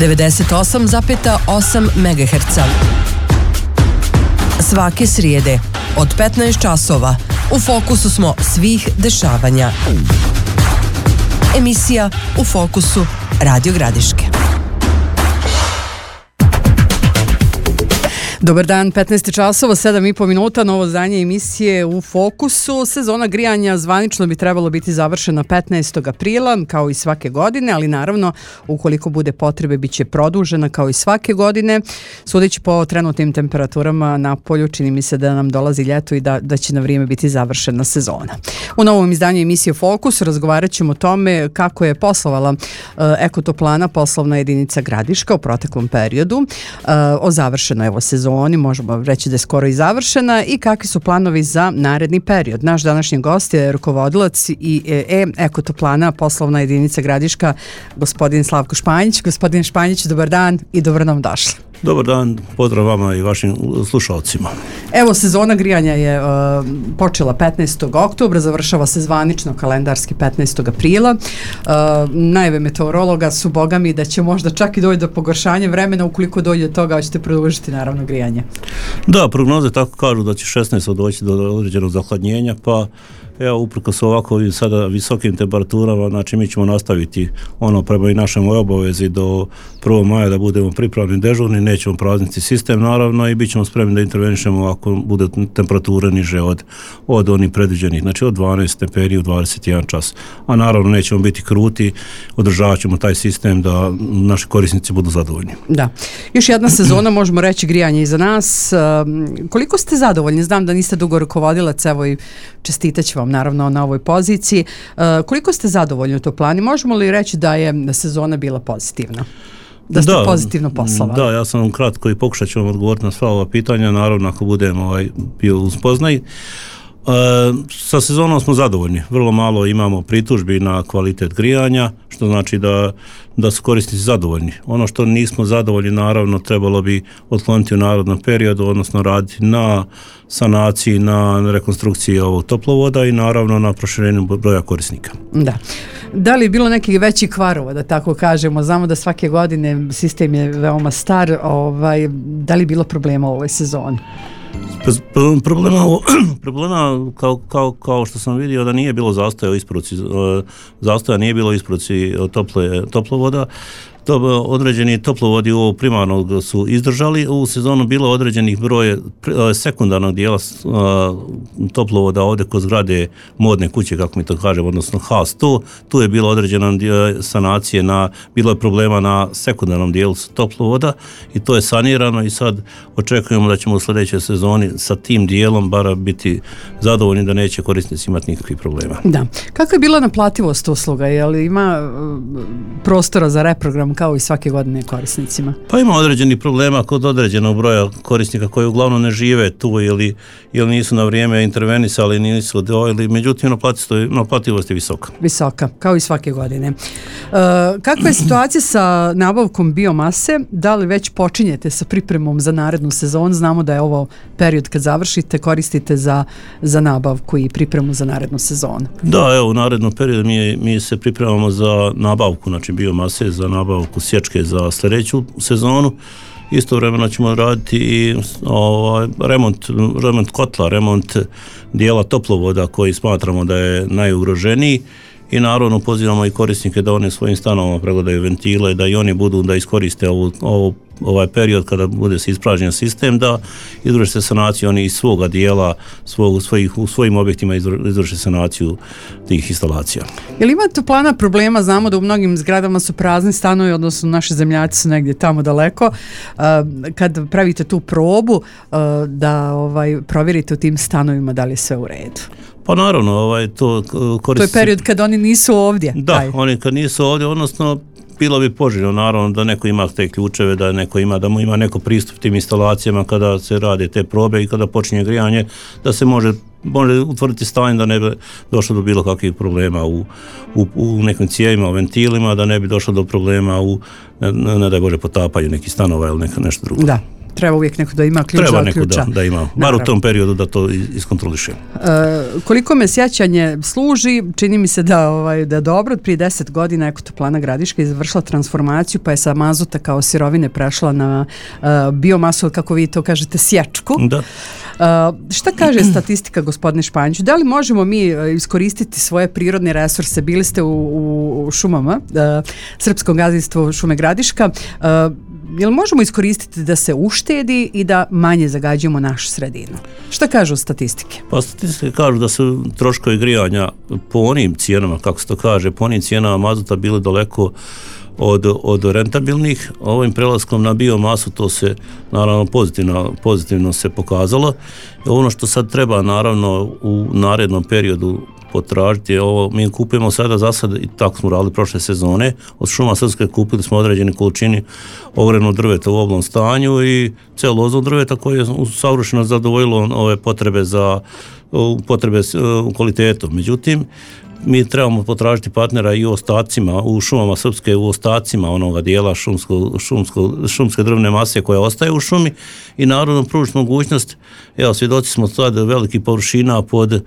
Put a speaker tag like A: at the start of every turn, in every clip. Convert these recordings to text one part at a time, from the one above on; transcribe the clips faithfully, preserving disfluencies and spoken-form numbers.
A: devedeset osam zarez osam megaherca. Svake srijede od petnaest časova u fokusu smo svih dešavanja. Emisija U fokusu Radio Gradiške. Dobar dan, petnaest časova, sedam i po minuta, novo izdanje emisije U fokusu. Sezona grijanja zvanično bi trebalo biti završena petnaestog aprila, kao i svake godine, ali naravno, ukoliko bude potrebe, bit će produžena kao i svake godine. Sudeći po trenutnim temperaturama na polju, čini mi se da nam dolazi ljeto i da, da će na vrijeme biti završena sezona. U novom izdanju emisije Fokus razgovarat ćemo o tome kako je poslovala uh, Ekotoplana, poslovna jedinica Gradiška u proteklom periodu, uh, o završenoj evo sezoni. Oni možemo reći da je skoro i završena i kakvi su planovi za naredni period. Naš današnji gost je rukovodilac i e, Ekotoplana, poslovna jedinica Gradiška, gospodin Slavko Španjić. Gospodin Španjić, dobar dan i dobro nam došli.
B: Dobar dan, pozdrav vama i vašim slušalcima.
A: Evo, sezona grijanja je uh, počela petnaestog oktobra, završava se zvanično kalendarski petnaestog aprila. Uh, najave meteorologa su, boga mi, da će možda čak i doći do pogoršanja vremena, ukoliko dođe do toga, ćete produžiti naravno grijanje.
B: Da, prognoze tako kažu da će šesnaestog doći do određenog zahladnjenja, pa evo, uprkos ovako sada visokim temperaturama, znači mi ćemo nastaviti ono prema i našem obavezi do prvog maja da budemo pripravni dežurni, nećemo prazniti sistem naravno i bit ćemo spremni da intervenišemo ako bude temperatura niže od, od onih predviđenih, znači od dvanaest stepeni u dvadeset jedan čas. A naravno nećemo biti kruti, održavat ćemo taj sistem da naši korisnici budu zadovoljni.
A: Da. Još jedna sezona, možemo reći, grijanje iza nas. Koliko ste zadovoljni? Znam da niste dugo rukovodilac, evo i čestitat ću vam naravno na ovoj poziciji. Koliko ste zadovoljni u Toplani? Možemo li reći da je sezona bila pozitivna? Da ste da, pozitivno poslovali?
B: Da, ja sam kratko i pokušat ću vam odgovoriti na sva ova pitanja, naravno ako budem ovaj, bio uspoznaj. E, sa sezonom smo zadovoljni, vrlo malo imamo pritužbi na kvalitet grijanja, što znači da, da su korisnici zadovoljni. Ono što nismo zadovoljni, naravno, trebalo bi otkloniti u narednom periodu, odnosno raditi na sanaciji, na rekonstrukciji ovog toplovoda i naravno na proširenju broja korisnika.
A: Da. Da li je bilo nekih većih kvarova, da tako kažemo? Znamo da svake godine sistem je veoma star, ovaj, da li je bilo problema u ovoj sezoni?
B: Problema, problema kao, kao, kao što sam vidio da nije bilo zastoja u isporuci, zastoja nije bilo u isporuci tople, toplovoda. To, određeni toplovodi ovo primarnog su izdržali, u sezonu bilo određenih broje sekundarnog dijela toplovoda ovdje kod zgrade modne kuće, kako mi to kažemo, odnosno H sto, tu je bilo određena sanacije, na, bilo je problema na sekundarnom dijelu toplovoda i to je sanirano i sad očekujemo da ćemo u sljedećoj sezoni sa tim dijelom bar biti zadovoljni da neće korisnici imati nikakvih problema.
A: Da. Kako je bila naplativost usluga? Je li ima prostora za reprogram kao i svake godine korisnicima? Pa
B: ima određenih problema kod određenog broja korisnika koji uglavnom ne žive tu ili, ili nisu na vrijeme intervenisali, nisu odvojili, međutim naplativost je visoka.
A: Visoka, kao i svake godine. E, kakva je situacija sa nabavkom biomase? Da li već počinjete sa pripremom za narednu sezonu? Znamo da je ovo period kad završite, koristite za, za nabavku i pripremu za narednu sezonu.
B: Da, evo, u narednom periodu mi, mi se pripremamo za nabavku, znači biomase, za nabavku sječke za sljedeću sezonu. Istovremeno ćemo raditi i ovaj, remont, remont kotla, remont dijela toplovoda koji smatramo da je najugroženiji i naravno pozivamo i korisnike da oni svojim stanovima pregledaju ventile, da i oni budu da iskoriste ovu, ovu ovaj period kada bude se ispražnjen sistem, da izvrše se sanaciju oni iz svoga dijela, svog, svojih, u svojim objektima izvrše sanaciju tih instalacija.
A: Je li ima Toplana problema? Znamo da u mnogim zgradama su prazni stanovi, odnosno naši zemljaci su negdje tamo daleko. Kad pravite tu probu, da ovaj, provjerite u tim stanovima da li je sve u redu?
B: Pa naravno, ovaj, to koristi...
A: To je period kad oni nisu ovdje.
B: Da, taj. Oni kad nisu ovdje, odnosno bilo bi poželjno naravno da neko ima te ključeve, da neko ima, da mu ima neko pristup tim instalacijama kada se rade te probe i kada počinje grijanje, da se može može utvrditi stanje da ne bi došlo do bilo kakvih problema u, u, u nekim cijevima, u ventilima, da ne bi došlo do problema u, ne, ne daj Bože, potapanju nekih stanova ili neka, nešto drugo.
A: Da. Treba uvijek neko da ima ključ
B: Treba
A: za
B: neko
A: ključa.
B: da, da ima, bar u tom periodu da to iskontroliše.
A: E, koliko me sjećanje služi, čini mi se da, ovaj, da je dobro, prije deset godina Ekotoplana Gradiška izvršila transformaciju, pa je sa mazuta kao sirovine prešla na uh, biomasu, kako vi to kažete, sječku.
B: Da.
A: Uh, šta kaže statistika, gospodine Španjiću? Da li možemo mi iskoristiti svoje prirodne resurse? Bili ste u, u, u šumama, uh, Srpsko gazdinstvo Šume Gradiška. Uh, jel možemo iskoristiti da se uštedi i da manje zagađujemo našu sredinu? Šta kažu statistike?
B: Pa statistike kažu da su troškovi grijanja po onim cijenama, kako se to kaže, po onim cijenama mazuta bili daleko od, od rentabilnih. Ovim prelaskom na biomasu to se naravno pozitivno, pozitivno se pokazalo. I ono što sad treba naravno u narednom periodu potražiti, ovo mi kupujemo sada za sad, i tako smo radili prošle sezone, od Šuma Srpske kupili smo određene količini ogrevnog drveta u oblom stanju i celuloznog drveta koje je savršeno zadovoljilo ove potrebe za potrebe kvalitetom. Međutim, mi trebamo potražiti partnera i u ostacima, u Šumama Srpske, u ostacima onoga dijela šumsko, šumsko, šumske drvne mase koja ostaje u šumi i naravno pružiti mogućnost, evo svjedoci smo sad velikih površina pod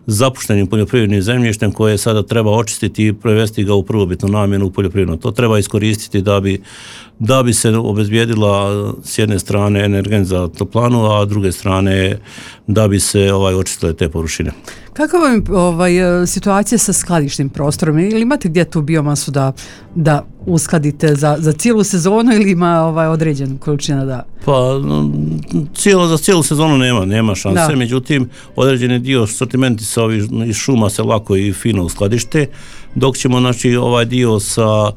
B: zapuštenim poljoprivrednim zemljištem koje sada treba očistiti i prevesti ga u prvobitnu namjenu u poljoprivredno. To treba iskoristiti da bi, da bi se obezbijedila s jedne strane energent za toplanu, a s druge strane da bi se ovaj očistile te površine.
A: Kakva je ovaj, situacija sa skladišnim prostorom? Ili imate gdje tu biomasu da, da uskladite za, za cijelu sezonu ili ima ovaj, određenu količina da...
B: Pa cijelo, za cijelu sezonu nema, nema šanse, da. Međutim određeni dio sortimenti sa ovih iz šuma se lako i fino uskladište, dok ćemo znači ovaj dio sa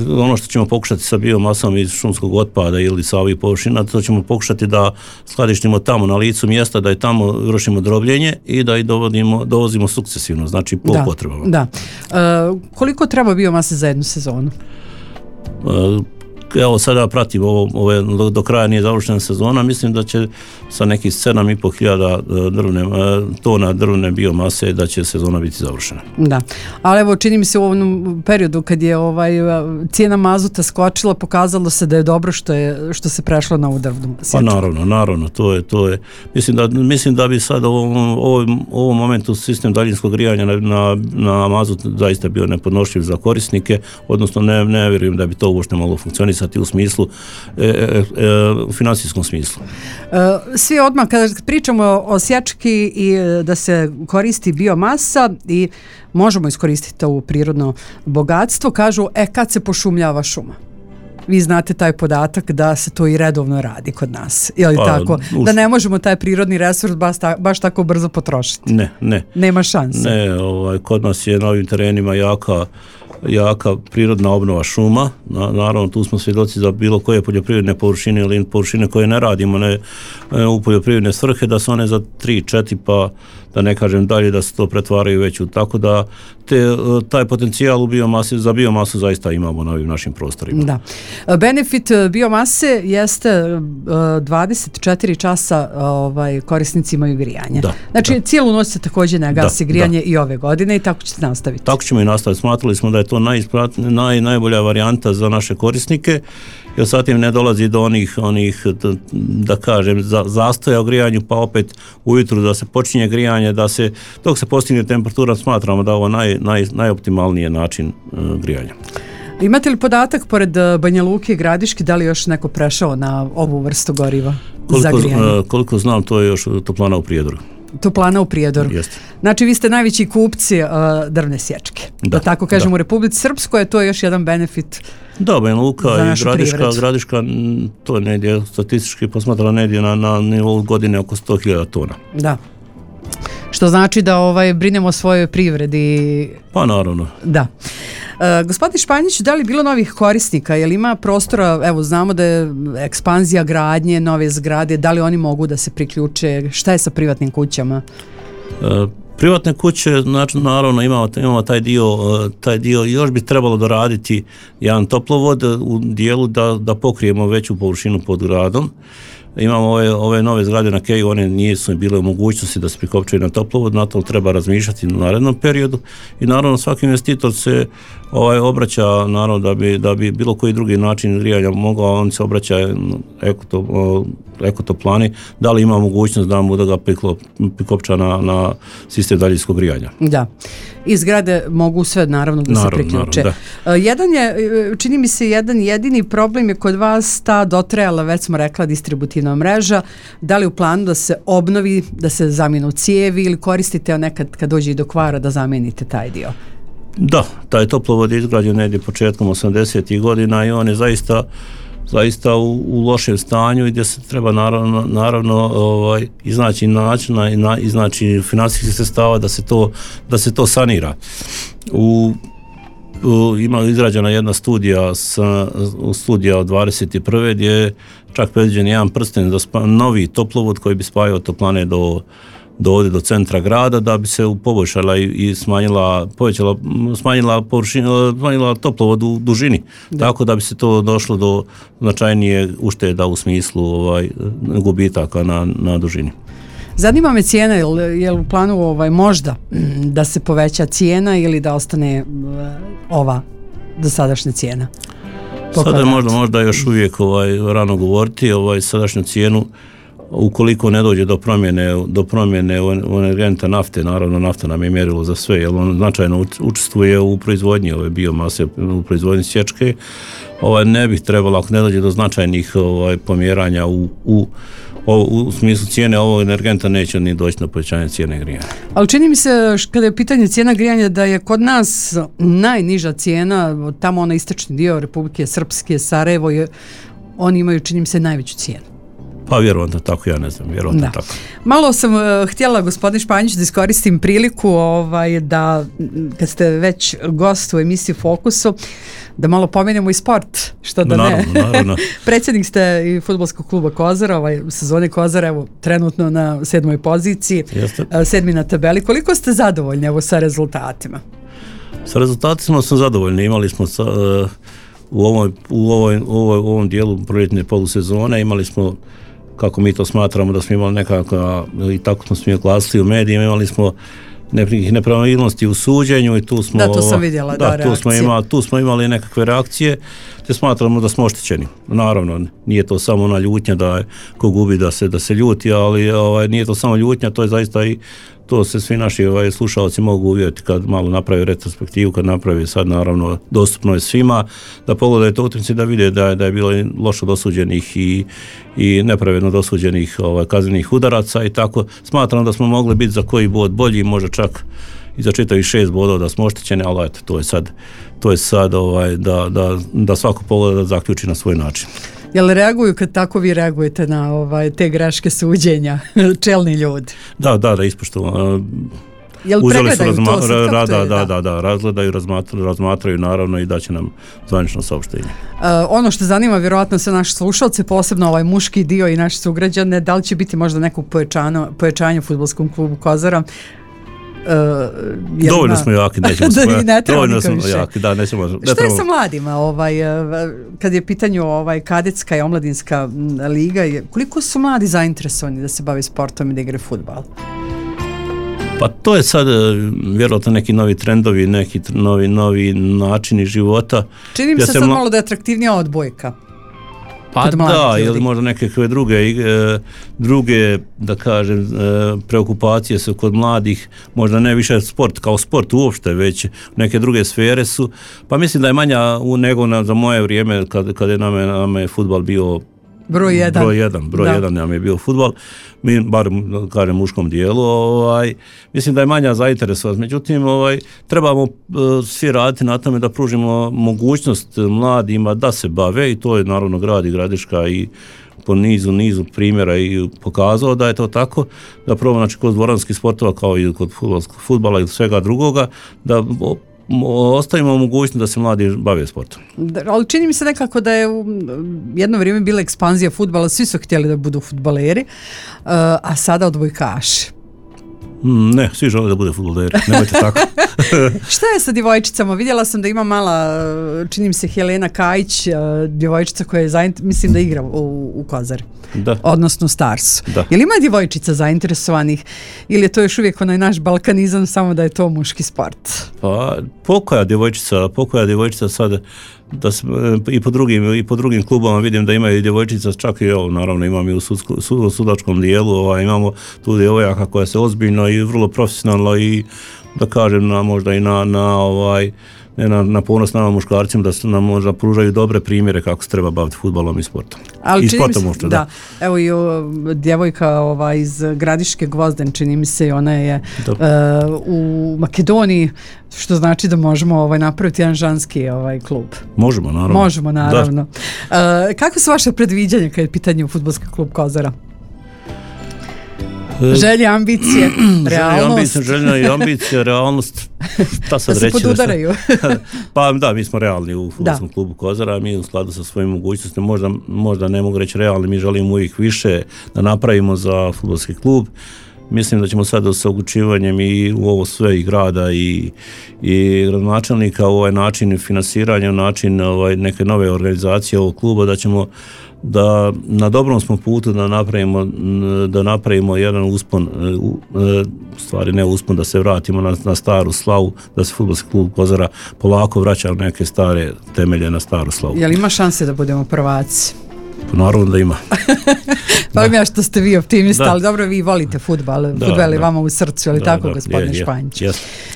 B: ono što ćemo pokušati sa biomasom iz šumskog otpada ili sa ovih površina, to ćemo pokušati da skladištimo tamo na licu mjesta, da i tamo vršimo drobljenje i da i dovodimo, dovozimo sukcesivno, znači po
A: da,
B: potrebama.
A: Da. E, koliko treba biomase za jednu sezonu?
B: E, Evo sada pratim ovo, ove, do, do kraja nije završena sezona, mislim da će sa nekih sedam i pol hiljada drvne, tona drvne biomase da će sezona biti završena.
A: Da, ali evo čini mi se u ovom periodu kad je ovaj, cijena mazuta skočila, pokazalo se da je dobro što, je, što se prešlo na ovu drvnu sječu.
B: Pa naravno, naravno, to je, to je, mislim da, mislim da bi sad u ovom, ovom, ovom momentu sistem daljinskog grijanja na, na, na mazut zaista bio nepodnošljiv za korisnike, odnosno ne, ne vjerujem da bi to uopšte moglo funkcionisati u smislu, e, e, e, u financijskom smislu.
A: E, svi odmah, kada pričamo o sječki i da se koristi biomasa i možemo iskoristiti to prirodno bogatstvo, kažu, e, kad se pošumljava šuma? Vi znate taj podatak da se to i redovno radi kod nas. Je li pa, tako? Us... Da ne možemo taj prirodni resurs baš, ta, baš tako brzo potrošiti.
B: Ne, ne.
A: Nema šanse.
B: Ne, ovaj, kod nas je na ovim terenima jaka jaka prirodna obnova šuma. Na, naravno, tu smo svjedoci za bilo koje poljoprivredne površine ili površine koje ne radimo ne, u poljoprivredne svrhe, da su one za tri, četiri, pa da ne kažem dalje, da se to pretvaraju već u. Tako da te, taj potencijal u biomasi, za biomasu zaista imamo na ovim našim prostorima.
A: Da. Benefit biomase jeste dvadeset četiri časa ovaj, korisnici imaju grijanje.
B: Da,
A: znači,
B: da.
A: cijelu noć se također ne gasi
B: da,
A: grijanje
B: da.
A: i ove godine i tako ćete nastaviti.
B: Tako ćemo i nastaviti. Smatrali smo da je to naj, najbolja varijanta za naše korisnike, jer zatim ne dolazi do onih, onih da kažem, za, zastoja u grijanju, pa opet ujutru da se počinje grijanje, da se, dok se postigne temperatura, smatramo da je ovo naj, naj, najoptimalniji način uh, grijanja.
A: Imate li podatak, pored Banja Luke i Gradiške, da li još neko prešao na ovu vrstu goriva
B: koliko,
A: za grijanje?
B: Uh, koliko znam, to je još Toplana u Prijedoru.
A: Toplana u Prijedoru.
B: Jeste.
A: Znači, vi ste najveći kupci uh, drvne sječke. Da, da tako kažem, da. U Republici Srpskoj je to još jedan benefit.
B: Da, Banja Luka i Gradiška, Gradiška, to je negdje statistički posmatrala negdje na, na nivou godine oko sto hiljada tona.
A: Da. Što znači da ovaj brinemo o svojoj privredi.
B: Pa naravno.
A: Da. E, gospodin Španjić, da li bilo novih korisnika? Je li ima prostora, evo znamo da je ekspanzija gradnje, nove zgrade, da li oni mogu da se priključe? Šta je sa privatnim kućama?
B: E, privatne kuće, znači, naravno imamo, imamo taj dio, taj dio, još bi trebalo doraditi jedan toplovod u dijelu da, da pokrijemo veću površinu pod gradom. imamo ove, ove nove zgrade na Keju, one nisu bile u mogućnosti da se prikopčaju na toplovod, na to treba razmišljati u narednom periodu i naravno svaki investitor se ovaj, obraća, naravno da bi, da bi bilo koji drugi način grijanja mogao, on se obraća ekoto, ekotoplani, da li ima mogućnost da mu da ga prikopča na, na sistem daljinskog grijanja.
A: Da. I zgrade mogu sve naravno da naravno, se priključe. Jedan je, čini mi se jedan jedini problem je kod vas ta dotrajala, već smo rekla, distributivna mreža. Da li u planu da se obnovi, da se zamijenu cijevi ili koristite nekad kad dođe i do kvara da zamijenite taj dio?
B: Da, taj toplovod je izgrađen negdje početkom osamdesetih godina i on je zaista zaista u, u lošem stanju i gdje se treba naravno, naravno ovaj, iznaći načina i na, iznaći financijskih sredstava da se to, da se to sanira. U, u, ima izrađena jedna studija, sa, studija od dvadeset prve gdje je čak predviđen jedan prsten za spa, novi toplovod koji bi spajao toplane do do ovdje do centra grada da bi se poboljšala i, i smanjila povećala smanjila površinu, smanjila toplovod u dužini. Da. Tako da bi se to došlo do značajnije ušteda u smislu ovaj gubitaka na, na dužini.
A: Zanima me cijena, je li u planu ovaj možda da se poveća cijena ili da ostane ova dosadašnja cijena?
B: Sada je možda, možda još uvijek ovaj rano govoriti, ovaj sadašnju cijenu ukoliko ne dođe do promjene do promjene energenta nafte, naravno nafta nam je mjerilo za sve, jer on značajno učestvuje u proizvodnji ove biomase, u proizvodnji sječke. Ovaj ne bih trebalo, ako ne dođe do značajnih ovaj pomjeranja u, u u smislu cijene ovog energenta neće ni doći na povećanje cijene grijanja.
A: Ali čini mi se kada je pitanje cijena grijanja da je kod nas najniža cijena, tamo onaj istočni dio Republike Srpske, Sarajevo, je, oni imaju čini mi se najveću cijenu.
B: Pa vjerovatno tako, ja ne znam, vjerovatno tako.
A: Malo sam uh, htjela, gospodin Španjić, da iskoristim priliku ovaj, da, kad ste već gost u emisiji Fokusu, da malo pomenemo i sport, što da
B: naravno,
A: ne.
B: Naravno.
A: Predsjednik ste i fudbalskog kluba Kozara, ovaj, u sezoni Kozara, evo, trenutno na sedmoj poziciji, uh, sedmi na tabeli. Koliko ste zadovoljni evo, sa rezultatima?
B: Sa rezultatima sam zadovoljni, imali smo sa, uh, u, ovoj, u, ovoj, u, ovoj, u ovom dijelu proljetne polusezone, imali smo, kako mi to smatramo, da smo imali nekako, i tako smo smije glasili u medijima, imali smo nekih nepravilnosti u suđenju i tu smo,
A: da, to sam vidjela, da,
B: da tu, smo imali, tu smo imali nekakve reakcije, te smatramo da smo oštećeni. Naravno, nije to samo ona ljutnja da ko gubi da se, da se ljuti, ali ovaj, nije to samo ljutnja, to je zaista i to se svi naši ovaj, slušalci mogu uvjeriti kad malo napravi retrospektivu, kad napravi sad naravno dostupno je svima, da pogledaju to utakmice da vide da je, da je bilo loše dosuđenih i, i nepravedno dosuđenih ovaj, kaznenih udaraca i tako. Smatram da smo mogli biti za koji bod bolji, možda čak i za čitavih šest bodova da smo oštećeni, ali eto, to je sad, to je sad ovaj, da, da, da svako pogleda da zaključi na svoj način.
A: Jel reaguju kad tako vi reagujete na ovaj, te greške suđenja, čelni ljudi?
B: Da, da, da, ispoštovano.
A: Jel pregledaju razma- to sad,
B: ra, da,
A: je,
B: da, da, da, razgledaju, razmatraju, razmatraju naravno i daće nam zvanično saopštenje.
A: Uh, ono što zanima vjerojatno sve naše slušalce, posebno ovaj muški dio i naši sugrađane, da li će biti možda neko pojačano, pojačanje u fudbalskom klubu Kozara? Uh,
B: dovoljno ima... smo jaki, nećemo se
A: da, ne
B: dovoljno smo više. jaki, da, nećemo. Ne
A: Šta je sa mladima, ovaj, kad je pitanju ovaj, kadetska i omladinska liga, koliko su mladi zainteresovani da se bave sportom i da igraju fudbal?
B: Pa to je sad vjerojatno neki novi trendovi, neki novi, novi načini života.
A: Čini mi se sad mla... malo da je atraktivnija odbojka.
B: Pa da, ili možda nekakve druge, e, druge, da kažem, e, preokupacije su kod mladih, možda ne više sport kao sport uopšte, već neke druge sfere su, pa mislim da je manja u nego na, za moje vrijeme kad, kad je nam je, nam je fudbal bio
A: broj jedan.
B: Broj jedan, broj jedan nam je bio fudbal, mi bar kažem muškom dijelu, ovaj, mislim da je manja zainteresovanost, međutim ovaj, trebamo uh, svi raditi na tome da pružimo mogućnost mladima da se bave i to je naravno grad i Gradiška i po nizu, nizu primjera i pokazao da je to tako, da probamo znači kod dvoranskih sportova kao i kod fudbala i svega drugoga, da ostavimo mogućnost da se mladi bave sportom.
A: Da, ali čini mi se nekako da je u jedno vrijeme bila ekspanzija fudbala, svi su htjeli da budu fudbaleri, uh, a sada odbojkaši.
B: Mm, ne, svi žele da bude fudbaleri, nemojte tako.
A: Šta je sa djevojčicama? Vidjela sam da ima mala, čini mi se Helena Kajić, djevojčica koja je zaint... mislim da igra u, u Kozari.
B: Da.
A: Odnosno Starsu.
B: Da.
A: Je li ima djevojčica zainteresovanih ili je to još uvijek onaj naš balkanizam samo da je to muški sport?
B: Pa pokoja djevojčica, pokoja djevojčica sad da se, i po drugim i po drugim klubama vidim da imaju djevojčica, čak i ovo naravno imam i u sudsko, sud, sudačkom dijelu, ovaj, imamo tu djevojaka koja se ozbiljno i vrlo profesionalno i da kažem na možda i na, na ovaj ne na, na ponos nama muškarcima da su nam možda pružaju dobre primjere kako se treba baviti fudbalom i sportom.
A: Ali
B: I
A: čini mi se,
B: možda,
A: da.
B: da.
A: Evo i o, djevojka ova, iz Gradiške Gvozden, čini mi se, ona je uh, u Makedoniji, što znači da možemo ovaj, napraviti jedan ženski ovaj, klub.
B: Možemo, naravno.
A: Možemo, naravno. Uh, kako su vaše predviđanja kad je pitanje u fudbalski klub Kozara? Želje, ambicije, realnost.
B: Želja i ambicija, realnost, šta sad
A: da se
B: reći?
A: podudaraju.
B: Pa da, mi smo realni u fudbalskom klubu Kozara, mi u skladu sa svojim mogućnostima, možda, možda ne mogu reći realni, mi želimo uvijek više da napravimo za fudbalski klub. Mislim da ćemo sada sa uključivanjem i u ovo sve i grada i, i gradonačelnika u ovaj način finansiranja, način ovaj, neke nove organizacije ovog kluba, da ćemo da na dobrom smo putu da napravimo da napravimo jedan uspon, u stvari ne uspon, da se vratimo na, na staru slavu, da se fudbalski klub Kozara polako vraća u neke stare temelje na staru slavu.
A: Je li ima šanse da budemo prvaci?
B: Pa naravno da ima.
A: Pa mi ja što ste vi optimista, da. Ali dobro, vi volite fudbal, fudbal je vama u srcu, ali da, tako, da, gospodine je, Španjić. Je,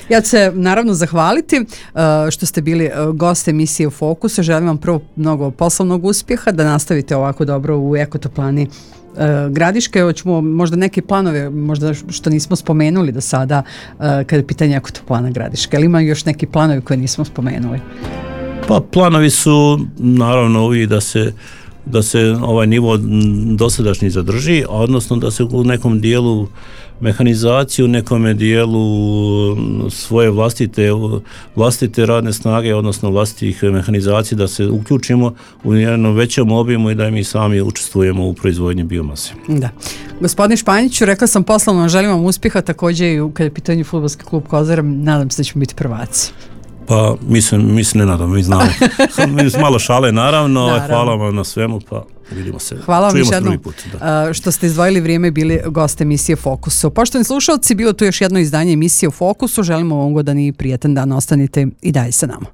A: ja ću se naravno zahvaliti uh, što ste bili uh, gost emisije u Fokusu. Želim vam prvo mnogo poslovnog uspjeha, da nastavite ovako dobro u Ekotoplani uh, Gradiške. Evo ćemo možda neke planove, možda što nismo spomenuli do sada, uh, kada je pitanje Ekotoplana Gradiške. Ali ima još neki planovi koje nismo spomenuli?
B: Pa planovi su naravno ovi da se da se ovaj nivo dosadašnji zadrži, odnosno da se u nekom dijelu mehanizaciju, u nekom dijelu svoje vlastite, vlastite radne snage, odnosno vlastitih mehanizacije, da se uključimo u jednom većem obimu i da mi sami učestvujemo u proizvodnji biomase.
A: Da. Gospodine Španjiću, rekla sam poslovno, želim vam uspjeha, također i kada je pitanje fudbalski klub Kozara, nadam se da ćemo biti prvaci.
B: Pa mislim, mislim ne nadam, mi znamo. Malo šale naravno, naravno. Hvala vam na svemu, pa vidimo se.
A: Hvala vam još jednom što ste izdvojili vrijeme i bili gost emisije Fokusu. Poštovani slušalci, bilo tu još jedno izdanje emisije u Fokusu, želimo vam ugodan i prijetan dan, ostanite i dalje sa nama.